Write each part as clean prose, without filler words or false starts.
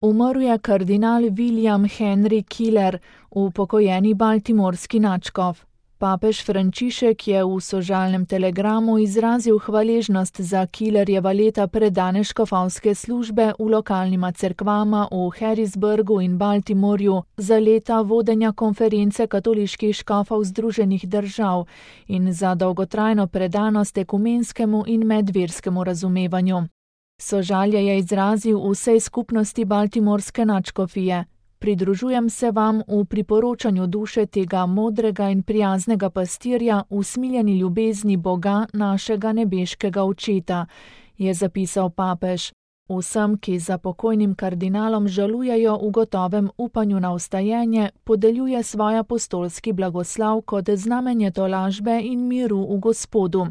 Umrl je kardinal William Henry Keeler, upokojeni baltimorski nadškof. Papež Frančišek je v sožalnem telegramu izrazil hvaležnost za Keelerjeva leta predane škofovske službe v lokalnima cerkvama v Harrisburgu in Baltimorju, za leta vodenja konference katoliških škofov Združenih držav in za dolgotrajno predanost ekumenskemu in medverskemu razumevanju. Sožalje je izrazil vsej skupnosti baltimorske nadškofije. Pridružujem se vam v priporočanju duše tega modrega in prijaznega pastirja v smiljeni ljubezni Boga, našega nebeškega očeta, je zapisal papež. Vsem, ki za pokojnim kardinalom žalujejo v gotovem upanju na vstajenje, podeljuje svoj apostolski blagoslav kot znamenje tolažbe in miru v Gospodu.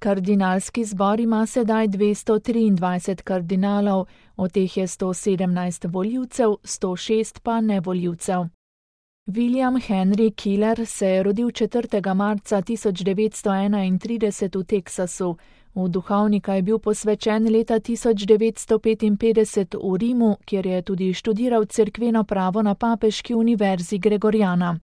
Kardinalski zbor ima sedaj 223 kardinalov, od teh je 117 volivcev, 106 pa nevolivcev. William Henry Keeler se je rodil 4. marca 1931 v Teksasu. V duhovnika je bil posvečen leta 1955 v Rimu, kjer je tudi študiral cerkveno pravo na papeški univerzi Gregoriana.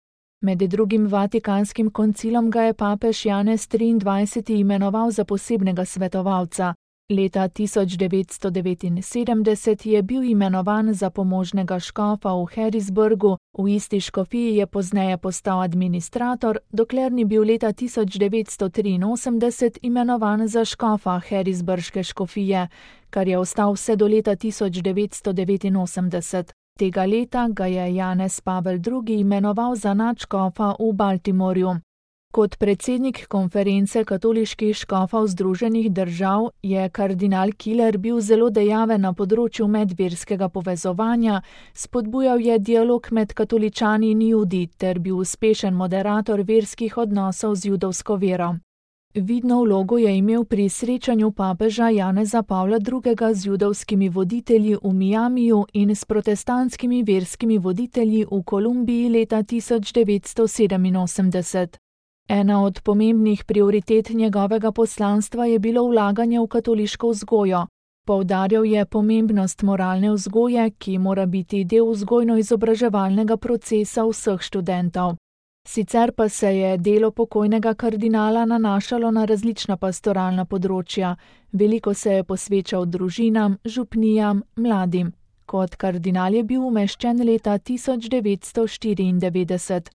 Med drugim Vatikanskim koncilom ga je papež Janez XXIII. Imenoval za posebnega svetovalca. Leta 1979 je bil imenovan za pomožnega škofa v Harrisburgu, v isti škofiji je pozneje postal administrator, dokler ni bil leta 1983 imenovan za škofa Harrisburške škofije, kar je ostal vse do leta 1989. Tega leta ga je Janez Pavel II. Imenoval za nadškofa v Baltimorju. Kot predsednik konference katoliških škofov Združenih držav je kardinal Keeler bil zelo dejaven na področju medverskega povezovanja, spodbujal je dialog med katoličani in Judi ter bil uspešen moderator verskih odnosov z judovsko vero. Vidno vlogo je imel pri srečanju papeža Janeza Pavla II. Z judovskimi voditelji v Miamiju in s protestantskimi verskimi voditelji v Kolumbiji leta 1987. Ena od pomembnih prioritet njegovega poslanstva je bilo vlaganje v katoliško vzgojo. Poudarjal je pomembnost moralne vzgoje, ki mora biti del vzgojno-izobraževalnega procesa vseh študentov. Sicer pa se je delo pokojnega kardinala nanašalo na različna pastoralna področja. Veliko se je posvečal družinam, župnijam, mladim. Kot kardinal je bil umeščen leta 1994.